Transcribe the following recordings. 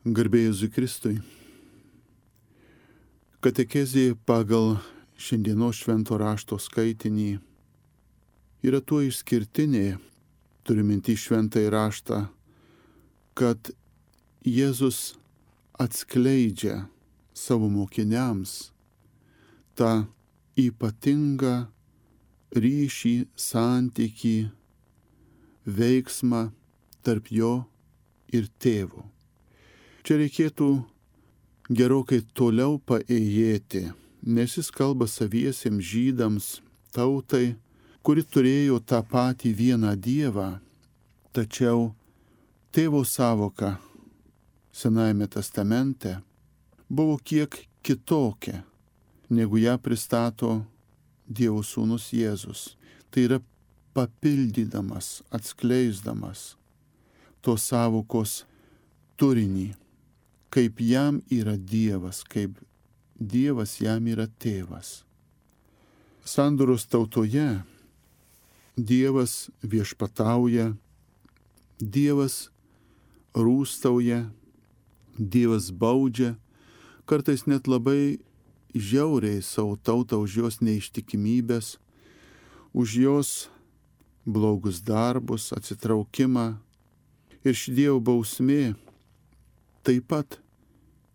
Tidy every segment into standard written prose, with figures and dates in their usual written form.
Garbė Jėzui Kristui. Katekezė pagal šiandienos švento rašto skaitinį yra tuo išskirtinė, turiu minty šventąjį raštą, kad Jėzus atskleidžia savo mokiniams tą ypatingą ryšį, santykį, veiksmą tarp jo ir tėvo. Čia reikėtų gerokai toliau paėjėti, nes jis kalba saviesiems žydams, tautai, kuri turėjo tą patį vieną Dievą, tačiau tėvo sąvoka Senajame testamente buvo kiek kitokia, negu ją pristato Dievo sūnus Jėzus. Tai yra papildydamas, atskleisdamas tos sąvokos turinį, kaip jam yra Dievas, kaip Dievas jam yra tėvas. Sandoros tautoje Dievas viešpatauja, Dievas rūstauja, Dievas baudžia, kartais net labai žiauriai savo tautą už jos neištikimybės, už jos blogus darbus, atsitraukimą. Ir ši Dievo bausmė taip pat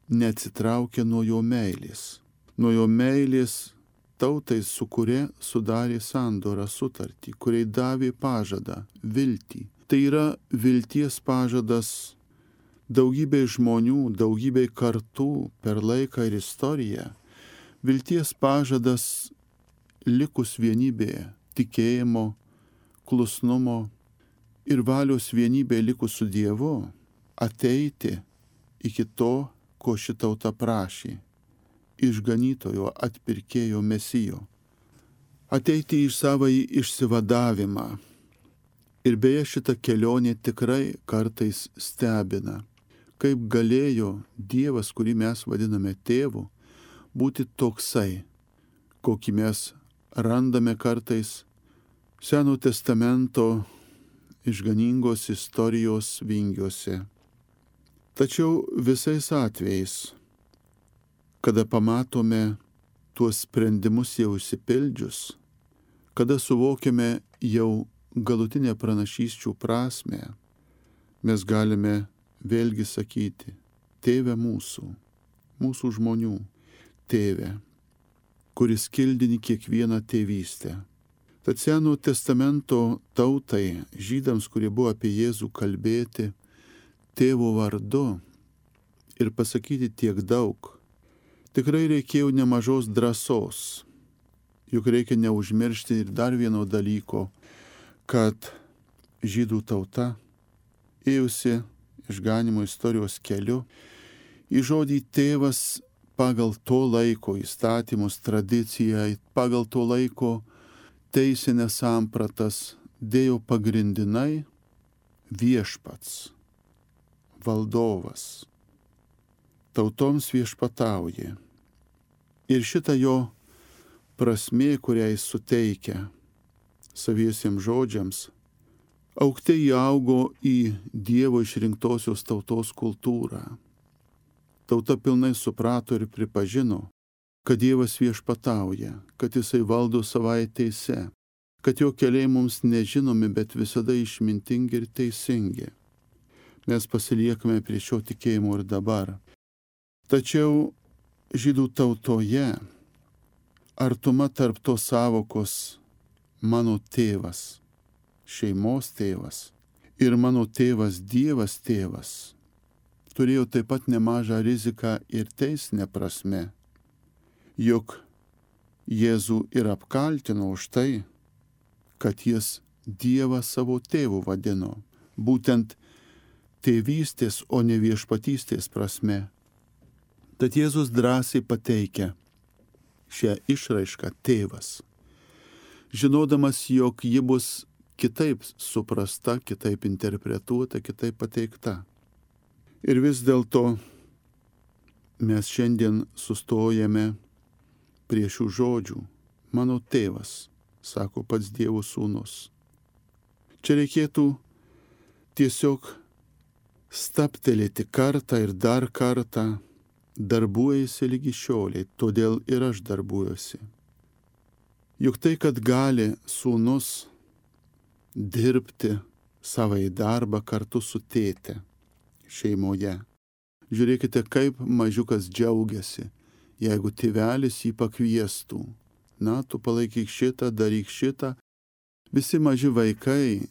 neatsitraukia nuo jo meilės. Nuo jo meilės tautai, su kuria sudarė sandorą, sutartį, kuriai davė pažadą, viltį. Tai yra vilties pažadas daugybei žmonių, daugybei kartų per laiką ir istoriją. Vilties pažadas likus vienybėje, tikėjimo, klusnumo ir valios vienybėje likus su Dievu, ateiti iki to, ko ši tauta prašė, išganytojo, atpirkėjo Mesijo, ateiti į savąjį išsivadavimą. Ir beje, šita kelionė tikrai kartais stebina, kaip galėjo Dievas, kurį mes vadiname tėvu, būti toksai, kokį mes randame kartais Seno testamento išganingos istorijos vingiuose. Tačiau visais atvejais, kada pamatome tuos sprendimus jau išsipildžius, kada suvokiame jau galutinę pranašysčių prasmę, mes galime vėlgi sakyti: Tėve mūsų, mūsų žmonių, Tėve, kuris kildini kiekvieną tėvystę. Tad Seno testamento tautai, žydams, kurie buvo apie Jėzų kalbėti tėvo vardu ir pasakyti tiek daug, tikrai reikėjo nemažos drąsos. Juk reikia neužmiršti ir dar vieno dalyko, kad žydų tauta ėjusi išganymo istorijos keliu, į žodį tėvas pagal to laiko įstatymus, tradiciją, pagal to laiko teisinės sampratas dėjo pagrindinai viešpats, valdovas, tautoms viešpatauja. Ir šita jo prasmė, kurią jis suteikia saviesiems žodžiams, aukte įaugo į Dievo išrinktosios tautos kultūrą. Tauta pilnai suprato ir pripažino, kad Dievas viešpatauja, kad jisai valdo savai teise, kad jo keliai mums nežinomi, bet visada išmintingi ir teisingi. Mes pasiliekame prie šio tikėjimo ir dabar. Tačiau žydų tautoje artuma tarp tos sąvokos mano tėvas, šeimos tėvas ir mano tėvas Dievas tėvas turėjo taip pat nemažą riziką ir teisinę prasme. Juk Jėzų ir apkaltino už tai, kad jis Dievą savo tėvu vadino, būtent tėvystės, o ne viešpatystės prasme. Tad Jėzus drąsiai pateikia šią išraišką tėvas, žinodamas, jog ji bus kitaip suprasta, kitaip interpretuota, kitaip pateikta. Ir vis dėlto mes šiandien sustojame prie šių žodžių. Mano tėvas, sako pats Dievo sūnus. Čia reikėtų tiesiog staptelėti kartą ir dar kartą, darbuojasi lygi šioliai, todėl ir aš darbuojuosi. Juk tai, kad gali sūnus dirbti savai darbą kartu su tėte šeimoje. Žiūrėkite, kaip mažiukas džiaugiasi, jeigu tėvelis jį pakviestų. Na, tu palaikyk šitą, daryk šitą. Visi maži vaikai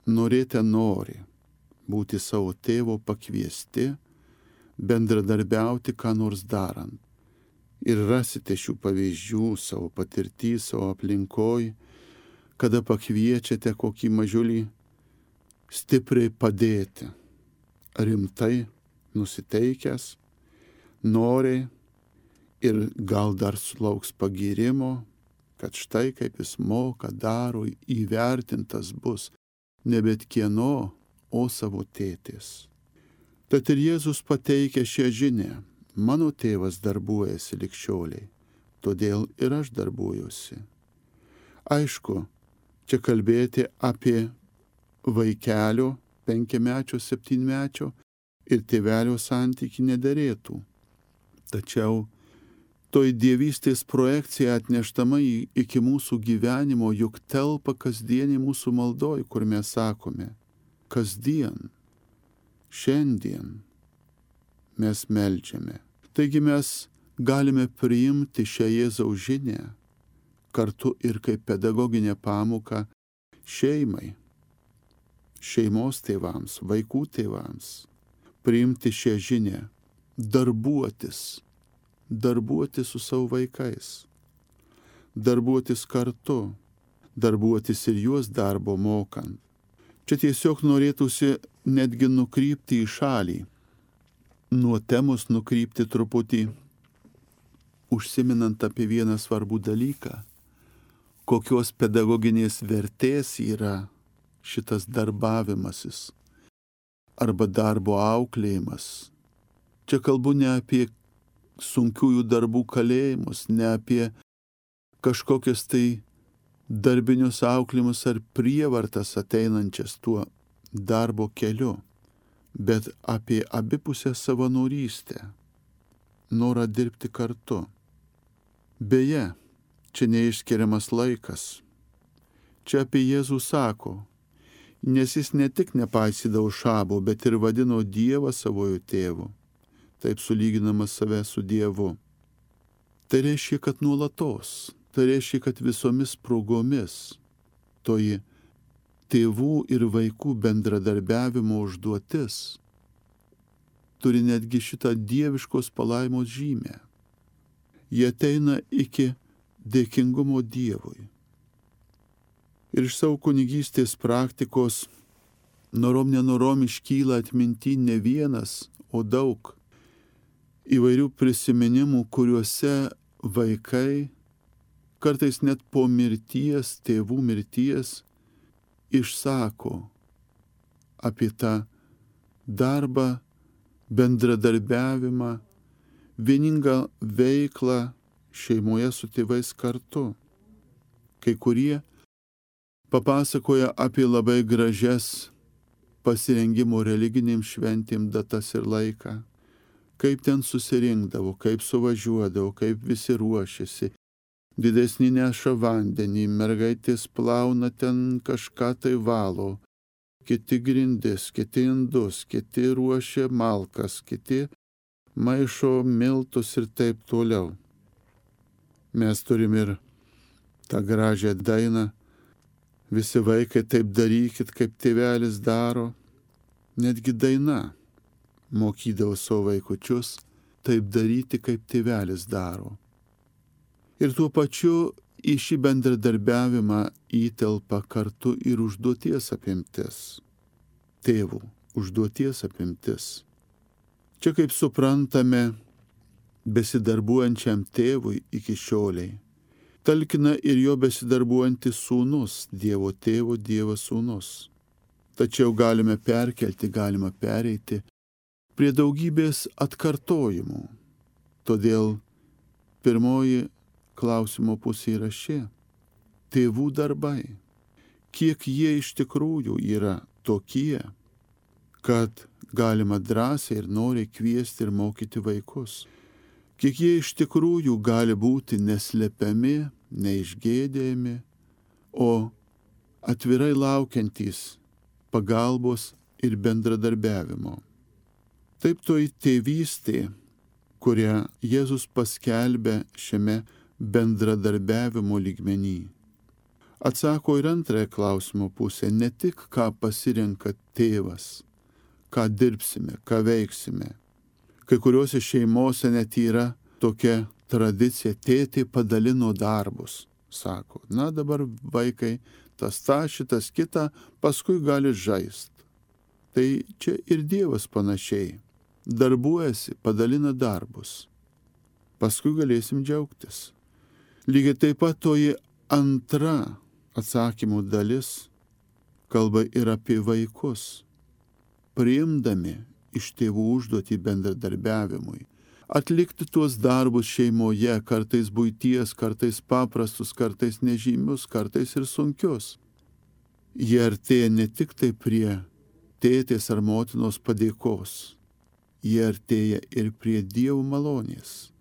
norėti nori būti savo tėvo pakviesti, bendradarbiauti ką nors darant. Ir rasite šių pavyzdžių savo patirtį, savo aplinkoj, kada pakviečiate kokį mažiulį stipriai padėti, rimtai nusiteikęs, nori ir gal dar sulauks pagyrimo, kad štai kaip jis moka, daro, įvertintas bus ne bet kieno, o savo tėtės. Tad ir Jėzus pateikia šią žinią: mano tėvas darbuojasi lig šioliai, todėl ir aš darbuojuosi. Aišku, čia kalbėti apie vaikelio 5-mečio, 7-mečio ir tėvelio santykį nederėtų. Tačiau toj dievystės projekcija atneštama iki mūsų gyvenimo juk telpa kasdienį mūsų maldoj, kur mes sakome: kasdien, šiandien mes meldžiame. Taigi mes galime priimti šią Jėzaus žinią kartu ir kaip pedagoginę pamoką šeimai, šeimos tėvams, vaikų tėvams. Priimti šią žinią, darbuotis su savo vaikais, darbuotis kartu, darbuotis ir juos darbo mokant. Čia tiesiog norėtųsi netgi nukrypti į šalį, nuo temos nukrypti truputį, užsiminant apie vieną svarbų dalyką, kokios pedagoginės vertės yra šitas darbavimasis arba darbo auklėjimas. Čia kalbu ne apie sunkiųjų darbų kalėjimus, ne apie kažkokias tai darbinius auklėjimus ar prievartas ateinančias tuo darbo keliu, bet apie abipusę savanorystę, norą dirbti kartu. Beje, čia neišskiriamas laikas. Čia apie Jėzų sako, nes jis ne tik nepaisydavo šabo, bet ir vadino Dievą savojo tėvu, taip sulyginamas save su Dievu. Tai reiškia, kad nuolatos, tai reiškia, kad visomis progomis toji tėvų ir vaikų bendradarbiavimo užduotis turi netgi šitą dieviškos palaimos žymę. Jie ateina iki dėkingumo Dievui. Ir iš savo kunigystės praktikos norom nenorom iškyla atminty ne vienas, o daug įvairių prisiminimų, kuriuose vaikai, kartais net po mirties, tėvų mirties, išsako apie tą darbą, bendradarbiavimą, vieningą veiklą šeimoje su tėvais kartu. Kai kurie papasakoja apie labai gražias pasirengimo religinėm šventėm datas ir laiką, kaip ten susirinkdavo, kaip suvažiuodavo, kaip visi ruošiasi. Didesnį neša vandenį, mergaitės plauna ten kažką tai valo, kiti grindis, kiti indus, kiti ruošia malkas, kiti maišo miltus ir taip toliau. Mes turim ir tą gražią dainą: visi vaikai taip darykit, kaip tėvelis daro. Netgi daina mokydavo savo vaikučius taip daryti, kaip tėvelis daro. Ir tuo pačiu į šį bendradarbiavimą įtelpa kartu ir užduoties apimtis. Tėvų užduoties apimtis. Čia, kaip suprantame, besidarbuojančiam tėvui iki šioliai talkina ir jo besidarbuojantis sūnus, Dievo tėvo, Dievas sūnus. Tačiau galime perkelti, galima pereiti prie daugybės atkartojimų. Todėl pirmoji klausimo pusė yra ši: tėvų darbai. Kiek jie iš tikrųjų yra tokie, kad galima drąsiai ir noriai kviesti ir mokyti vaikus. Kiek jie iš tikrųjų gali būti neslepiami, neišgėdėjami, o atvirai laukiantys pagalbos ir bendradarbiavimo. Taip toji tėvystė, kurią Jėzus paskelbė šiame bendradarbiavimo lygmenį, atsako ir antrąją klausimo pusę, ne tik ką pasirenka tėvas, ką dirbsime, ką veiksime. Kai kuriuose šeimose net yra tokia tradicija, tėtė padalino darbus, sako, na dabar vaikai, tas tą, šitas kitą, paskui gali žaist. Tai čia ir Dievas panašiai, darbuojasi, padalina darbus, paskui galėsim džiaugtis. Lygiai taip pat toji antra atsakymų dalis kalba ir apie vaikus, priimdami iš tėvų užduotį bendradarbiavimui, atlikti tuos darbus šeimoje, kartais buities, kartais paprastus, kartais nežymius, kartais ir sunkius. Jie artėja ne tik tai prie tėtės ar motinos padėkos, jie artėja ir prie Dievo malonės.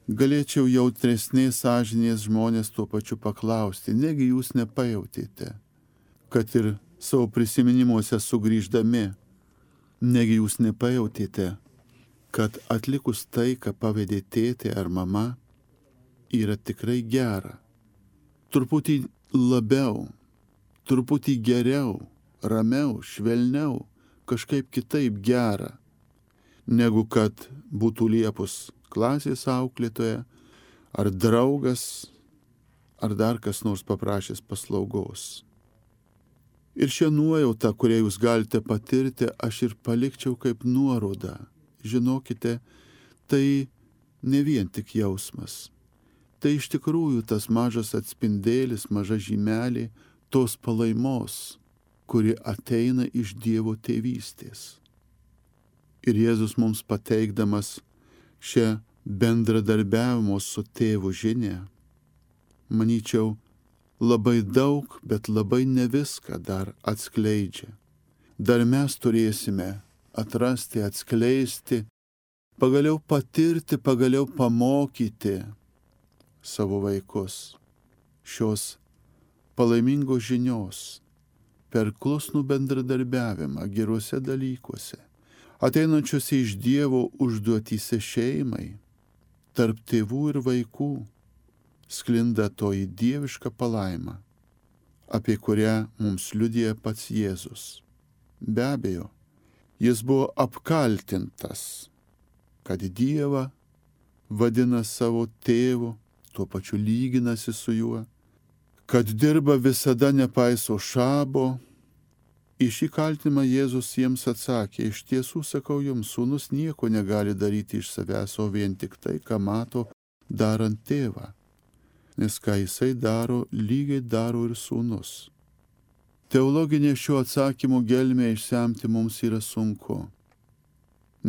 Galėčiau jautresnės sąžinės žmonės tuo pačiu paklausti, negi jūs nepajautėte, kad ir savo prisiminimuose sugrįždami, negi jūs nepajautėte, kad atlikus tai, ką pavedė tėtė ar mama, yra tikrai gera. Truputį labiau, truputį geriau, ramiau, švelniau, kažkaip kitaip gera, negu kad būtų liepus klasės auklėtoja, ar draugas, ar dar kas nors paprašęs paslaugos. Ir šią nuojautą, kurią jūs galite patirti, aš ir palikčiau kaip nuorodą. Žinokite, tai ne vien tik jausmas. Tai iš tikrųjų tas mažas atspindėlis, maža žymelė tos palaimos, kuri ateina iš Dievo tėvystės. Ir Jėzus mums pateikdamas šią bendradarbiavimo su tėvu žinią, manyčiau, labai daug, bet labai ne viską dar atskleidžia. Dar mes turėsime atrasti, atskleisti, pagaliau patirti, pagaliau pamokyti savo vaikus šios palaimingos žinios per klusnų bendradarbiavimą geruose dalykuose, ateinančiuose iš Dievo užduotyse šeimai, tarp tėvų ir vaikų, sklinda toji dieviška palaima, apie kurią mums liudija pats Jėzus. Be abejo, jis buvo apkaltintas, kad Dievą vadina savo tėvu, tuo pačiu lyginasi su juo, kad dirba visada nepaiso šabo. Į šį kaltinimą Jėzus jiems atsakė, iš tiesų sakau jums, sūnus nieko negali daryti iš savęs, o vien tik tai, ką mato darant tėvą. Nes ką jisai daro, lygiai daro ir sūnus. Teologinė šio atsakymo gelmė išsemti mums yra sunku,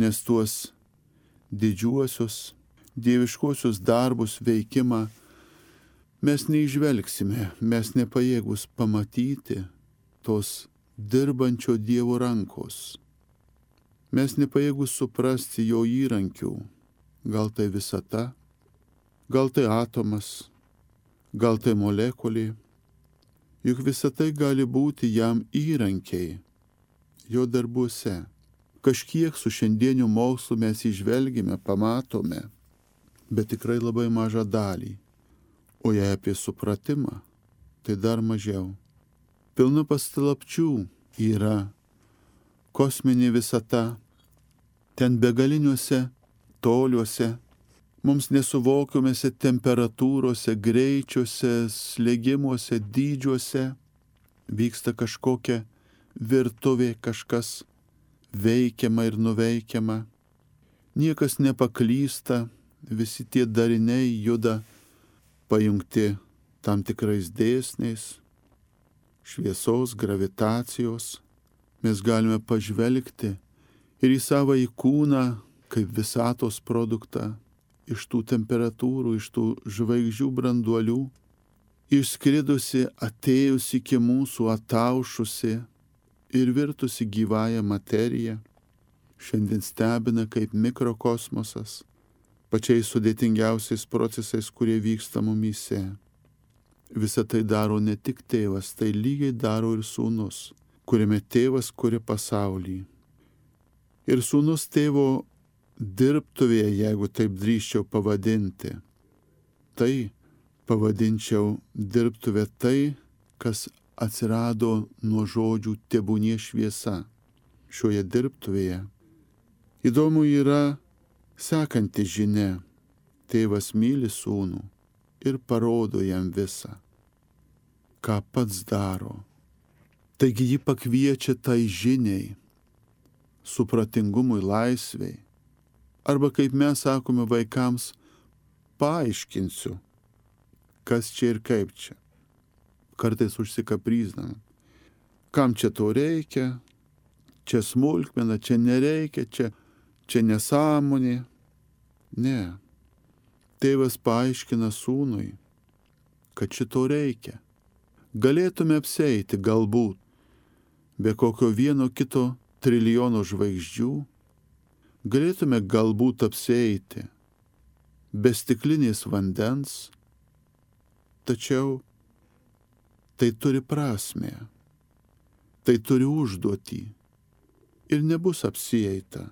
nes tuos didžiuosius, dieviškuosius darbus, veikimą mes neižvelgsime, mes nepajėgus pamatyti tos dirbančio Dievo rankos. Mes nepajėgus suprasti jo įrankių, gal tai visata, gal tai atomas, gal tai molekulė, juk visa tai gali būti jam įrankiai jo darbuose. Kažkiek su šiandieniu mokslu mes įžvelgime, pamatome, bet tikrai labai mažą dalį. O jei apie supratimą, tai dar mažiau. Pilna paslapčių yra kosminė visata, ten begaliniuose toliuose, mums nesuvokiamose temperatūrose, greičiuose, slėgimuose, dydžiuose vyksta kažkokia virtuvė, kažkas veikiama ir nuveikiama. Niekas nepaklysta, visi tie dariniai juda pajungti tam tikrais dėsniais, šviesos, gravitacijos. Mes galime pažvelgti ir į savąjį kūną kaip visatos produktą, iš tų temperatūrų, iš tų žvaigždžių branduolių, išskridusi, atėjusi iki mūsų, ataušusi ir virtusi gyvąją materiją. šiandien stebina kaip mikrokosmosas, pačiais sudėtingiausiais procesais, kurie vyksta mumyse. Visą tai daro ne tik tėvas, tai lygiai daro ir sūnus, kuriame tėvas kuria pasaulį. Ir sūnus tėvo dirbtuvėje, jeigu taip drįsčiau pavadinti, tai pavadinčiau dirbtuvė tai, kas atsirado nuo žodžių tebūnie šviesa. Šioje dirbtuvėje įdomu yra sekanti žinia. Tėvas myli sūnų ir parodo jam visą, ką pats daro. Taigi ji pakviečia tai žiniai, supratingumui, laisvei. Arba kaip mes sakome vaikams, paaiškinsiu, kas čia ir kaip čia. Kartais užsikapryzname. Kam čia to reikia? Čia smulkmena, čia nereikia, čia nesąmonė. Ne. Tėvas paaiškina sūnui, kad šito reikia. Galėtume apsieiti galbūt be kokio vieno kito trilijono žvaigždžių. Galėtume galbūt apsieiti be stiklinės vandens, tačiau tai turi prasmę, tai turi užduotį ir nebus apsieita.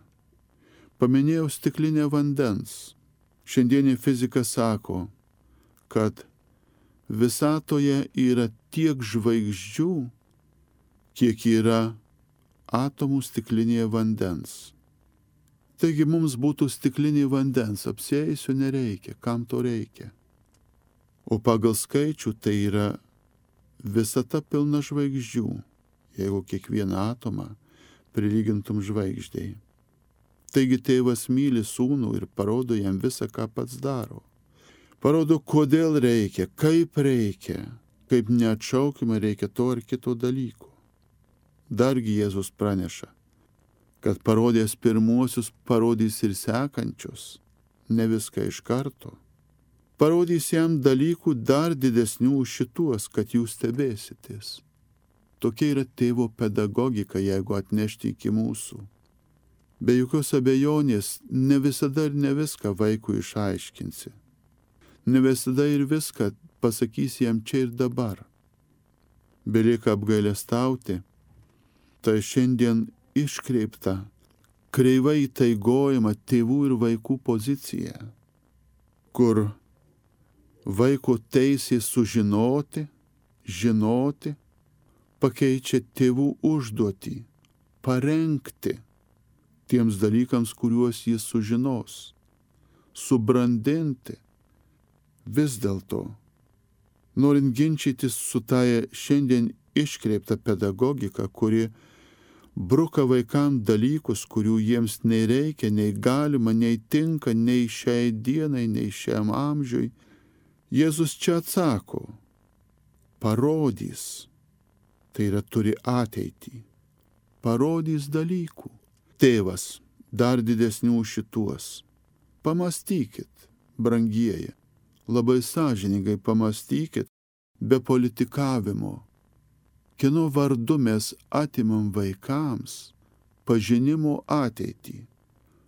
Paminėjau stiklinę vandens. Šiandienė fizika sako, kad visatoje yra tiek žvaigždžių, kiek yra atomų stiklinėje vandens. Taigi mums būtų stiklinė vandens, apsieisiu nereikia, kam to reikia. O pagal skaičių tai yra visata pilna žvaigždžių, jeigu kiekvieną atomą prilygintum žvaigždei. Taigi tėvas myli sūnų ir parodo jam visą, ką pats daro. Parodo, kodėl reikia, kaip neatšaukimai reikia to ar kito dalyko. Dargi Jėzus praneša, kad parodęs pirmuosius, parodys ir sekančius, ne viską iš karto. Parodys jam dalykų dar didesnių už šituos, kad jūs stebėsitės. Tokia yra tėvo pedagogika, jeigu atnešti iki mūsų. Be jokios abejonės, ne visada ir ne viską vaikui išaiškinsi. Ne visada ir viską pasakysi jam čia ir dabar. Belieka apgailestauti, tai šiandien iškreipta, kreivai įtaigojama tėvų ir vaikų pozicija, kur vaiko teisė sužinoti, žinoti, pakeičia tėvų užduotį, parengti tiems dalykams, kuriuos jis sužinos, subrandinti. Vis dėlto, norint ginčytis su tai šiandien iškreipta pedagogika, kuri bruka vaikams dalykus, kurių jiems nei reikia, nei galima, nei tinka, nei šiai dienai, nei šiam amžiui, Jėzus čia atsako, parodys, tai yra turi ateitį, parodys dalykų. Tėvas, dar didesnių šituos. Pamastykit, brangieji, labai sąžiningai pamastykit, be politikavimo. Kieno vardu mes atimam vaikams pažinimo ateitį,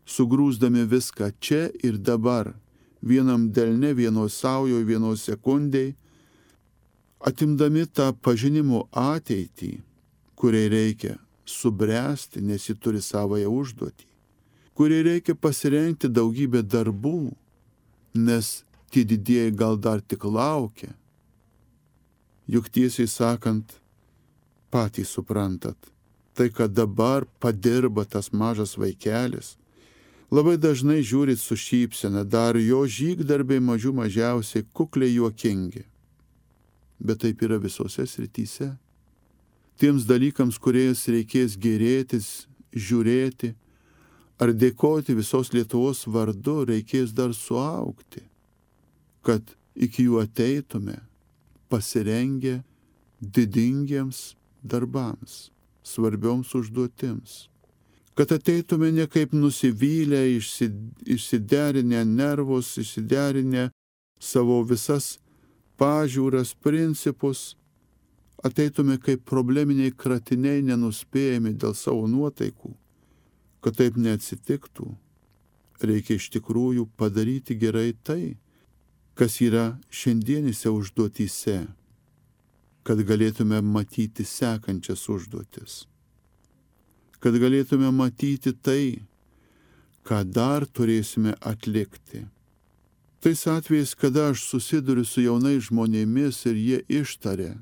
sugrūsdami viską čia ir dabar, vienam delne, vienos saujoje, vienos sekundėje, atimdami tą pažinimo ateitį, kuriai reikia subręsti, nes ji turi savąją užduotį, kuriai reikia pasirengti daugybę darbų, nes tie didieji gal dar tik laukia. Juk tiesiai sakant, patys suprantat, tai, kad dabar padirba tas mažas vaikelis, labai dažnai žiūrit su šypsena, dar jo žygdarbiai mažių mažiausiai kukliai juokingi. Bet taip yra visose srityse. Tiems dalykams, kuriais reikės gėrėtis, žiūrėti ar dėkoti visos Lietuvos vardu, reikės dar suaugti, kad iki jų ateitume pasirengę didingiems darbams, svarbioms užduotims. Kad ateitume ne kaip nusivylę, išsiderinę nervus, išsiderinę savo visas pažiūras, principus, ateitume kaip probleminiai kratiniai nenuspėjami dėl savo nuotaikų, Kad taip neatsitiktų, reikia iš tikrųjų padaryti gerai tai, kas yra šiandienėse užduotyse, kad galėtume matyti sekančias užduotis, kad galėtume matyti tai, ką dar turėsime atlikti. Tais atvejais, kada aš susiduriu su jaunais žmonėmis ir jie ištaria,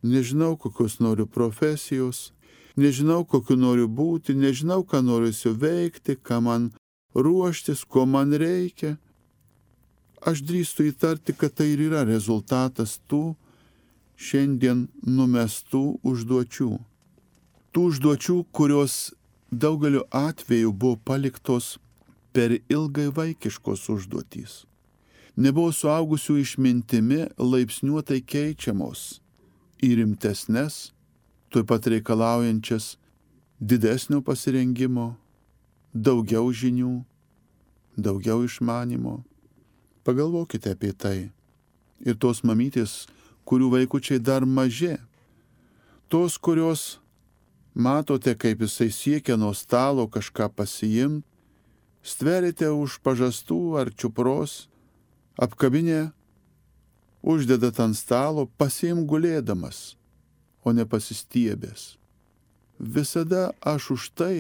nežinau, kokios noriu profesijos, nežinau, kokiu noriu būti, nežinau, ką noriu veikti, ką man ruoštis, ko man reikia, aš drįstu įtarti, kad tai ir yra rezultatas tų šiandien numestų užduočių. Tų užduočių, kurios daugeliu atveju buvo paliktos per ilgai vaikiškos užduotys. Nebuvo suaugusių išmintimi laipsniuotai keičiamos į rimtesnes, tuoj pat reikalaujančias didesnio pasirengimo, daugiau žinių, daugiau išmanimo. Pagalvokite apie tai. Ir tos mamytės, kurių vaikučiai dar maži, tos, kurios matote, kaip jisai siekia nuo stalo kažką pasiimti, stverite už pažastų ar čiupros, apkabinę, uždedat ant stalo, pasiim gulėdamas, o ne pasistiebęs. Visada aš už tai,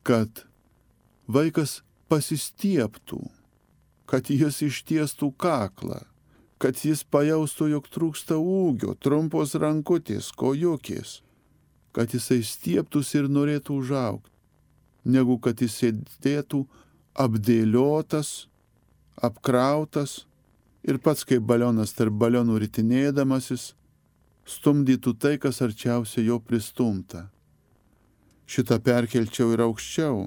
kad vaikas pasistiebtų, kad jis ištiestų kaklą, kad jis pajaustų, jog trūksta ūgio, trumpos rankutės, kojukės, kad jisai stiebtųsi ir norėtų užaugti, negu kad jis sėdėtų apdėliotas, apkrautas ir pats kaip balionas tarp balionų ritinėdamasis, stumdytų tai, kas arčiausiai jo pristumta. Šitą perkelčiau ir aukščiau,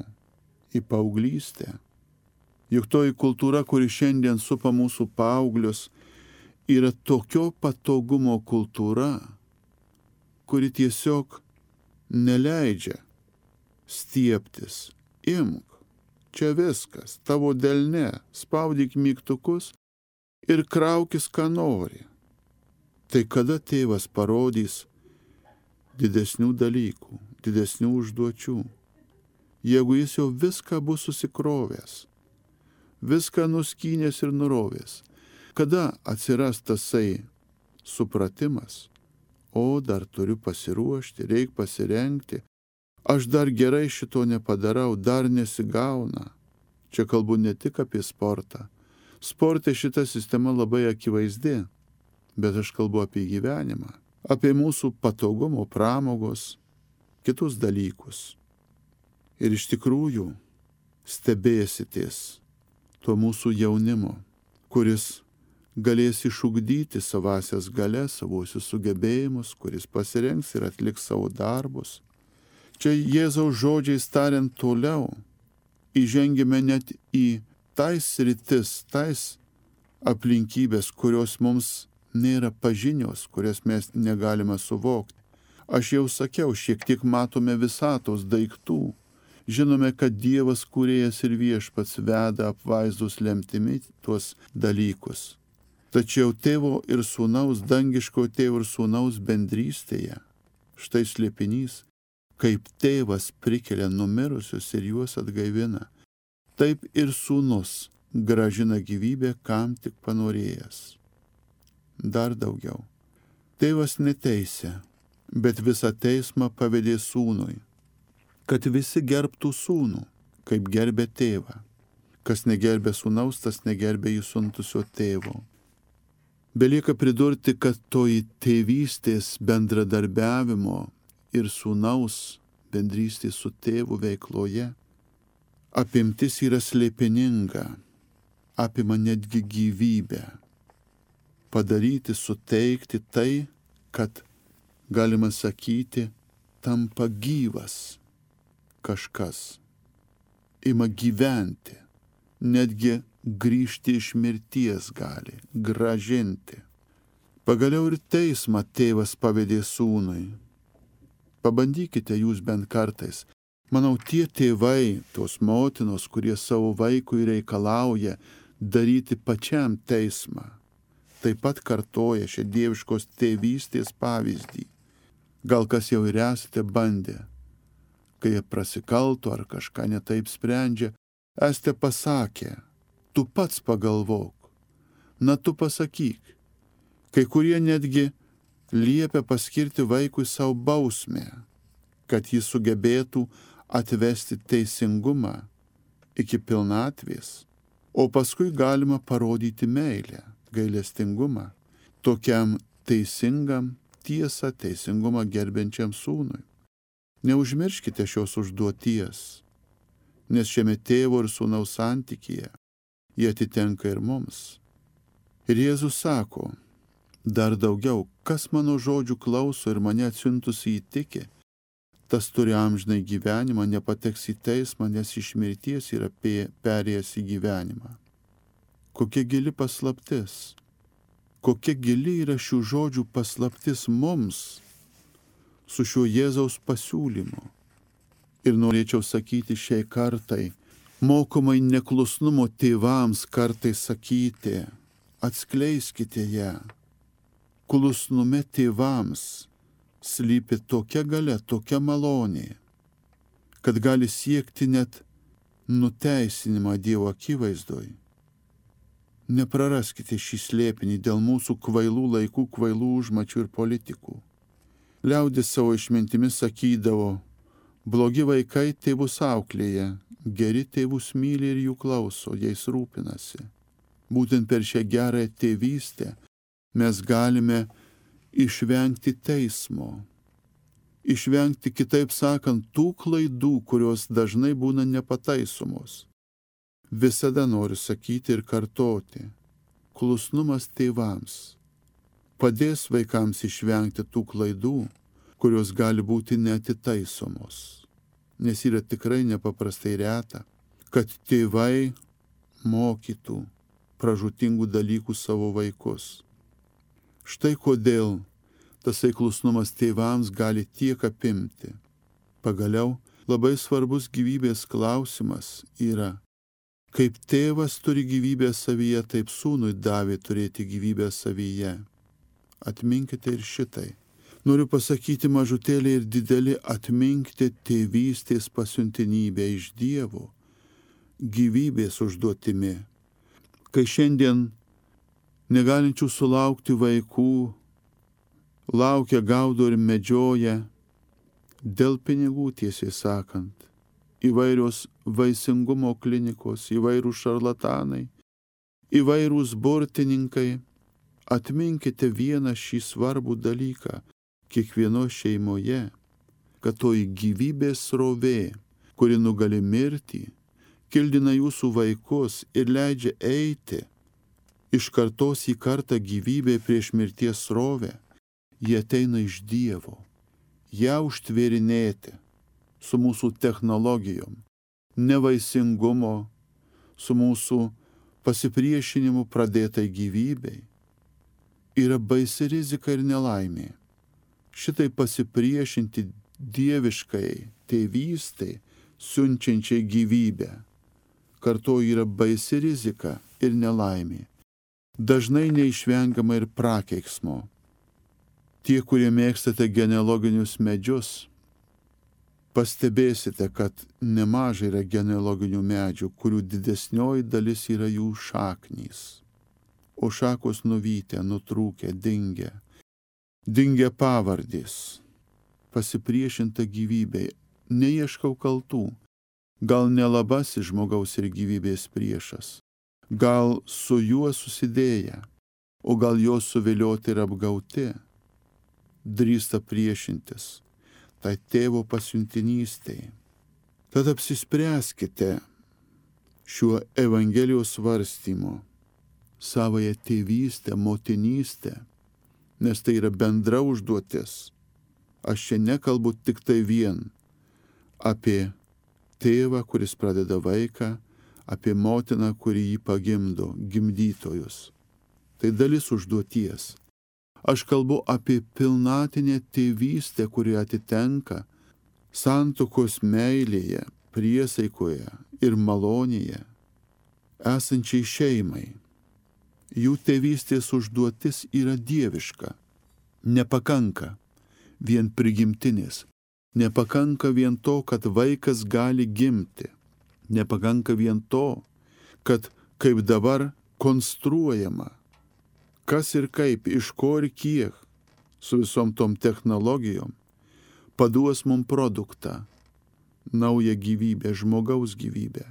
į paauglystę. Juk toji kultūra, kuri šiandien supa mūsų paauglius, yra tokio patogumo kultūra, kuri tiesiog neleidžia stiebtis. Imk, čia viskas, tavo delne, spaudyk mygtukus ir kraukis, ką nori. Tai kada tėvas parodys didesnių dalykų, didesnių užduočių, jeigu jis jau viską bus susikrovęs, viską nuskynęs ir nurovęs, kada atsiras tasai supratimas, o dar turiu pasiruošti, reik pasirengti, aš dar gerai šito nepadarau, dar nesigauna. Čia kalbu ne tik apie sportą. Sporte šita sistema labai akivaizdi, bet aš kalbu apie gyvenimą, apie mūsų patogumo, pramogos, kitus dalykus. Ir iš tikrųjų stebėsitės to mūsų jaunimo, kuris galės išugdyti savasias galias, savosius sugebėjimus, kuris pasirengs ir atliks savo darbus. Čia Jėzaus žodžiais tariant toliau, įžengime net į tais sritis, tais aplinkybės, kurios mums nėra pažinios, kurias mes negalime suvokti. Aš jau sakiau, šiek tiek matome visatos daiktų. Žinome, kad Dievas kūrėjas ir viešpats veda apvaizdus lemtimi tuos dalykus. Tačiau tėvo ir sūnaus, dangiško tėvo ir sūnaus bendrystėje, štai slėpinys, kaip tėvas prikelia numirusius ir juos atgaivina, taip ir sūnus grąžina gyvybę, kam tik panorėjęs. Dar daugiau. Tėvas neteisė, bet visą teismą pavedė sūnui, kad visi gerbtų sūnų, kaip gerbė tėvą. Kas negerbė sūnaus, tas negerbė jį siuntusio tėvo. Belieka pridurti, kad toji tėvystės bendradarbiavimo ir sūnaus bendrystės su tėvu veikloje apimtis yra slėpininga, apima netgi gyvybę. Padaryti, suteikti tai, kad, galima sakyti, tampa gyvas kažkas, ima gyventi, netgi grįžti iš mirties gali, grąžinti. Pagaliau ir teismą tėvas pavedė sūnui. Pabandykite jūs bent kartais. Manau, tie tėvai, tos motinos, kurie savo vaikui reikalauja daryti pačiam teismą, taip pat kartoja šią dieviškos tėvystės pavyzdį. Gal kas jau ir esate bandę, kai jie prasikalto ar kažką netaip sprendžia, esate pasakę, tu pats pagalvok, na tu pasakyk. Kai kurie netgi liepia paskirti vaikui savo bausmę, kad jis sugebėtų atvesti teisingumą iki pilnatvės, o paskui galima parodyti meilę, gailestingumą tokiam teisingam, tiesą, teisingumą gerbiančiam sūnui. Neužmirškite šios užduoties, nes šiame tėvo ir sūnaus santykyje jie atitenka ir mums. Ir Jėzus sako, dar daugiau, kas mano žodžių klauso ir mane atsiuntusį įtiki, tas turi amžinai gyvenimą, nepateks į teismą, nes iš mirties yra perėjęs į gyvenimą. Kokia gili paslaptis, kokia gili yra šių žodžių paslaptis mums su šiuo Jėzaus pasiūlymu. Ir norėčiau sakyti šiai kartai, mokomai neklusnumo tėvams kartais sakyti, atskleiskite ją. Klusnume tėvams slypi tokia galia, tokia malonė, kad gali siekti net nuteisinimą Dievo akivaizdoj. Nepraraskite šį slėpinį dėl mūsų kvailų laikų, kvailų užmačių ir politikų. Liaudis savo išmintimis sakydavo, blogi vaikai tėvus auklėja, geri tėvus myli ir jų klauso, jais rūpinasi. Būtent per šią gerąją tėvystę mes galime išvengti teismo, išvengti, kitaip sakant, tų klaidų, kurios dažnai būna nepataisomos. Visada noriu sakyti ir kartoti, klusnumas tėvams padės vaikams išvengti tų klaidų, kurios gali būti neatitaisomos. Nes yra tikrai nepaprastai reta, kad tėvai mokytų pražūtingų dalykų savo vaikus. Štai kodėl tasai klusnumas tėvams gali tiek apimti. Pagaliau labai svarbus gyvybės klausimas yra, kaip tėvas turi gyvybę savyje, taip sūnui davė turėti gyvybę savyje. Atminkite ir šitai. Noriu pasakyti mažutėlį ir didelį, atminkite tėvystės pasiuntinybę iš Dievo, gyvybės užduotimi. Kai šiandien negalinčių sulaukti vaikų laukia, gaudo ir medžioja dėl pinigų, tiesiai sakant, įvairios vaisingumo klinikos, įvairūs šarlatanai, įvairūs burtininkai, atminkite vieną šį svarbų dalyką kiekvienoje šeimoje, kad toji gyvybės srovė, kuri nugali mirtį, kildina jūsų vaikus ir leidžia eiti iš kartos į kartą gyvybė prieš mirties srovę, jie ateina iš Dievo, ją užtvėrinėti su mūsų technologijom, nevaisingumo, su mūsų pasipriešinimu pradėtai gyvybei, yra baisi rizika ir nelaimė. Šitai pasipriešinti dieviškai tėvystai, siunčiančiai gyvybę, kartu yra baisi rizika ir nelaimė. Dažnai neišvengiama ir prakeiksmo. Tie, kurie mėgstate genealoginius medžius, pastebėsite, kad nemažai yra genealoginių medžių, kurių didesnioji dalis yra jų šaknys. O šakos nuvytę, nutrūkę, dingę pavardės, pasipriešinta gyvybei, neieškau kaltų, gal nelabasis žmogaus ir gyvybės priešas, gal su juo susidėję, o gal jo suvilioti ir apgauti, drįsta priešintis tai tėvo pasiuntinystei. Tad apsispręskite šiuo Evangelijos svarstymu savąją tėvystę, motinystę, nes tai yra bendra užduotis. Aš čia nekalbu tik tai vien apie tėvą, kuris pradeda vaiką, apie motiną, kuri jį pagimdo, gimdytojus. Tai dalis užduoties. Aš kalbu apie pilnatinę tėvystę, kuri atitenka santuokos meilėje, priesaikoje ir malonėje esančiai šeimai. Jų tėvystės užduotis yra dieviška. Nepakanka vien prigimtinės, Nepakanka vien to, kad vaikas gali gimti. Nepakanka vien to, kad kaip dabar konstruojama, kas ir kaip, iš ko ir kiek, su visom tom technologijom, paduos mums produktą, naują gyvybę, žmogaus gyvybę.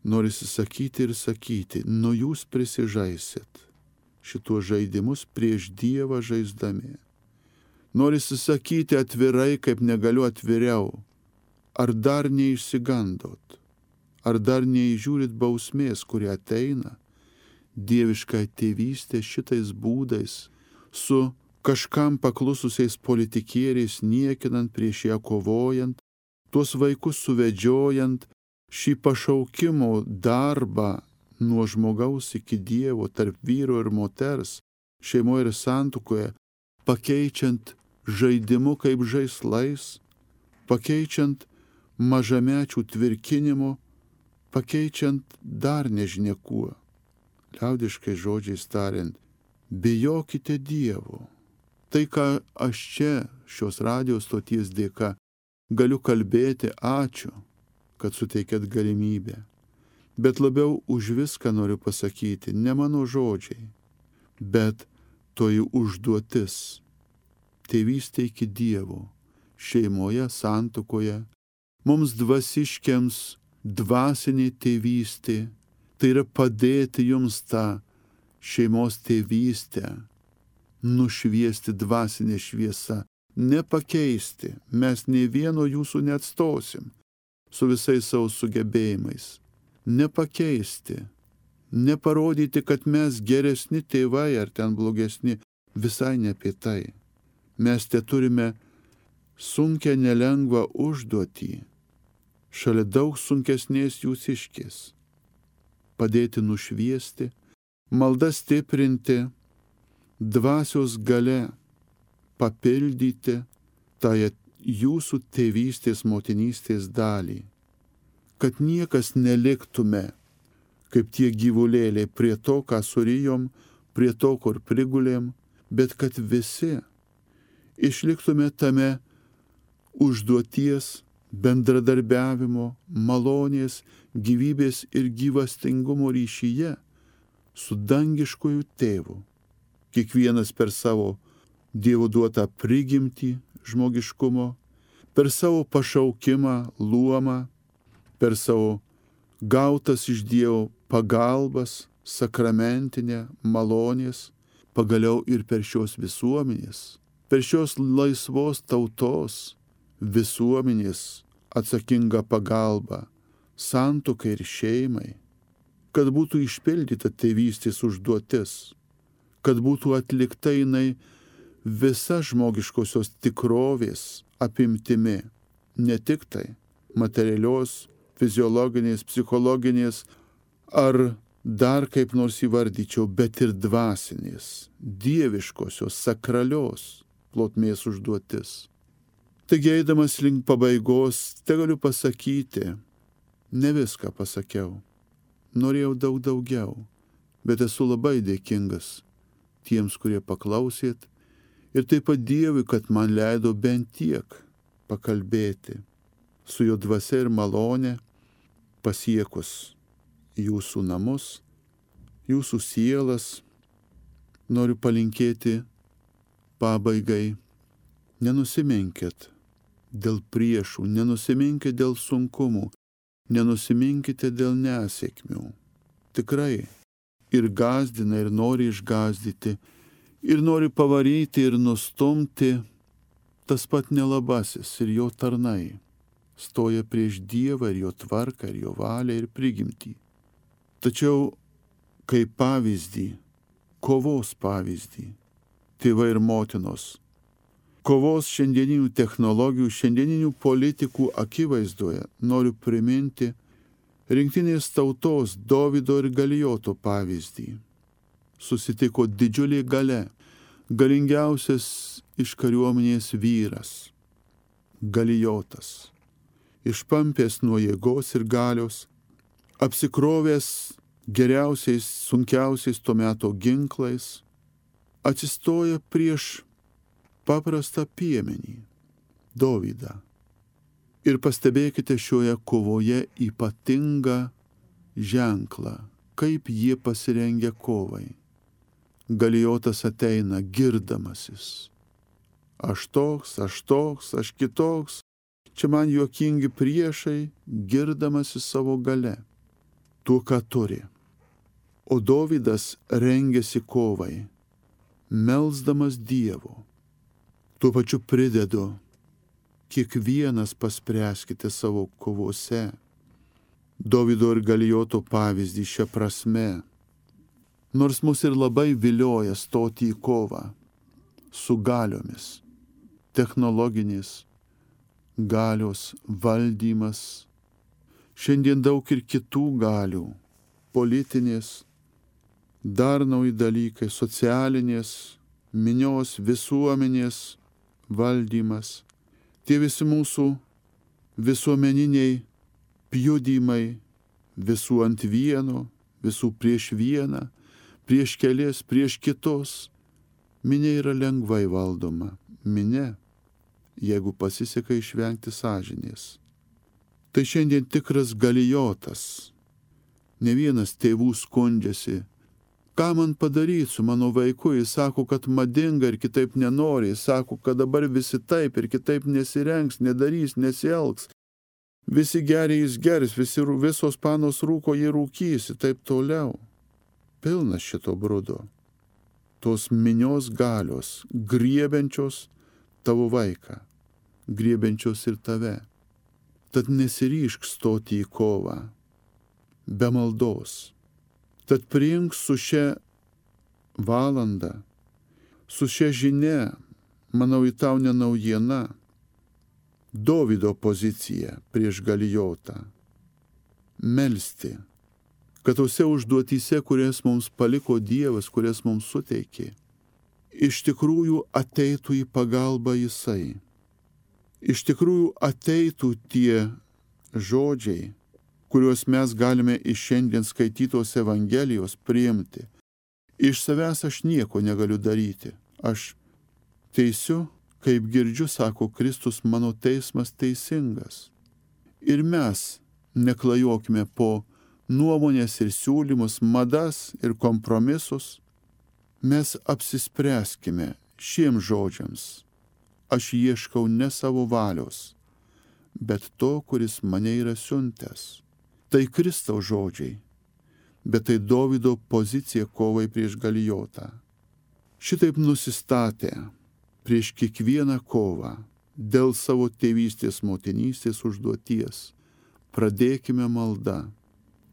Norisi sakyti ir sakyti, nu jūs prisižaisit šituos žaidimus prieš Dievą žaisdami. Norisi sakyti atvirai, kaip negaliu atviriau. Ar dar neišsigandot? Ar dar neįžiūrit bausmės, kuri ateina? Dieviška tėvystė šitais būdais, su kažkam paklususiais politikieriais niekinant, prieš ją kovojant, tuos vaikus suvedžiojant, šį pašaukimo darbą nuo žmogaus iki Dievo, tarp vyro ir moters, šeimoje ir santuokoje, pakeičiant žaidimu kaip žaislais, pakeičiant mažamečių tvirkinimu, pakeičiant dar nežinia kuo. Liaudiškai žodžiais tariant, bijokite Dievo. Tai, ką aš čia, šios radijos stoties dėka, galiu kalbėti, ačiū, kad suteikėt galimybę. Bet labiau už viską noriu pasakyti, ne mano žodžiai, bet toji užduotis. Tėvystė iki Dievo, šeimoje, santuokoje, mums dvasiškiams dvasinė tėvystė, tai yra padėti jums tą šeimos tėvystę, nušviesti dvasinę šviesą, nepakeisti, mes nei vieno jūsų neatstosim su visais savo sugebėjimais, nepakeisti, neparodyti, kad mes geresni tėvai ar ten blogesni, visai ne apie tai. Mes te turime sunkę nelengvą užduotį, šalia daug sunkesnės jūsiškės. Padėti nušviesti, maldą stiprinti, dvasios gale papildyti tą jūsų tėvystės, motinystės dalį, kad niekas neliktume kaip tie gyvulėliai prie to, ką surijom, prie to, kur prigulėm, bet kad visi išliktume tame užduoties, bendradarbiavimo, malonės, gyvybės ir gyvastingumo ryšyje su dangiškoju tėvu. Kiekvienas per savo Dievo duotą prigimtį žmogiškumo, per savo pašaukimą, luomą, per savo gautas iš Dievo pagalbas, sakramentinę, malonės, pagaliau ir per šios visuomenės, per šios laisvos tautos visuomenės atsakingą pagalbą santuokai ir šeimai, kad būtų išpildyta tėvystės užduotis, kad būtų atlikta jinai visa žmogiškosios tikrovės apimtimi, ne tik tai materialios, fiziologinės, psichologinės ar dar kaip nors įvardyčiau, bet ir dvasinės, dieviškosios, sakralios plotmės užduotis. Taigi eidamas link pabaigos, te galiu pasakyti, ne viską pasakiau, norėjau daug daugiau, bet esu labai dėkingas tiems, kurie paklausėt, ir taip pat Dievui, kad man leido bent tiek pakalbėti su jo dvasia ir malonė, pasiekus jūsų namus, jūsų sielas. Noriu palinkėti pabaigai, nenusiminkit dėl priešų, nenusiminkit dėl sunkumų, nenusiminkite dėl nesėkmių. Tikrai ir gąsdina, ir nori išgąsdyti, ir nori pavaryti ir nustumti tas pat nelabasis ir jo tarnai. Stoja prieš Dievą ir jo tvarką, ir jo valią, ir prigimtį. Tačiau kaip pavyzdį, kovos pavyzdį, tėvai ir motinos, kovos šiandieninių technologijų, šiandieninių politikų akivaizdoje noriu priminti rinktinės tautos Dovydo ir Galijoto pavyzdį. Susitiko didžiulė galia, galingiausias iš kariuomenės vyras, Galijotas, išpampęs nuo jėgos ir galios, apsikrovęs geriausiais, sunkiausiais tuo meto ginklais, atsistoja prieš paprastą piemenį Dovydą. Ir pastebėkite šioje kovoje ypatingą ženklą, kaip jie pasirengia kovai. Galijotas ateina girdamasis. Aš toks, aš kitoks, čia man juokingi priešai, girdamasis savo gale, tuo, ką turi. O Dovydas rengėsi kovai, melsdamas Dievo. Tuo pačiu pridedu, kiekvienas paspręskite savo kovose. Dovydo ir Galijoto pavyzdį šią prasme. Nors mus ir labai vilioja stoti į kovą su galiomis, technologinės galios valdymas, šiandien daug ir kitų galių, politinės, dar nauji dalykai, socialinės, minios visuomenės valdymas, tie visi mūsų visuomeniniai pjudymai, visų ant vieno, visų prieš vieną, prieš kelias, prieš kitos. Minia yra lengvai valdoma. Minia, jeigu pasiseka išvengti sąžinės. Tai šiandien tikras Galijotas. Ne vienas tėvų skundžiasi. Ką man padaryti su mano vaiku? Jis sako, kad madinga ir kitaip nenori. Jis sako, kad dabar visi taip ir kitaip nesirengs, nedarys, nesielgs. Visi geri jis geris, visos panos rūko jį rūkys ir taip toliau. Pilnas šito brudo. Tos minios galios, griebiančios tavo vaiką, griebiančios ir tave. Tad nesiryžk stoti į kovą be maldos. Tad priimk su šia valanda, su šia žinia, manau, į tau ne naujiena, Dovydo poziciją prieš Galijotą. Melsti, kad tose užduotyse, kurias mums paliko Dievas, kurias mums suteikė, iš tikrųjų ateitų į pagalbą Jisai. Iš tikrųjų ateitų tie žodžiai, kuriuos mes galime iš šiandien skaitytos Evangelijos priimti. Iš savęs aš nieko negaliu daryti. Aš teisiu, kaip girdžiu, sako Kristus, mano teismas teisingas. Ir mes neklajokime po nuomonės ir siūlymus, madas ir kompromisus. Mes apsispręskime šiems žodžiams. Aš ieškau ne savo valios, bet to, kuris mane yra siuntęs. Tai Kristaus žodžiai, bet tai Dovydo pozicija kovai prieš Galijotą. Šitaip nusistatė prieš kiekvieną kovą dėl savo tėvystės, motinystės užduoties. Pradėkime maldą,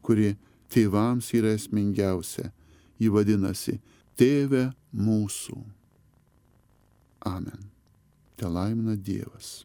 kuri tėvams yra esmingiausia. Ji vadinasi Tėve mūsų. Amen. Te laimina Dievas.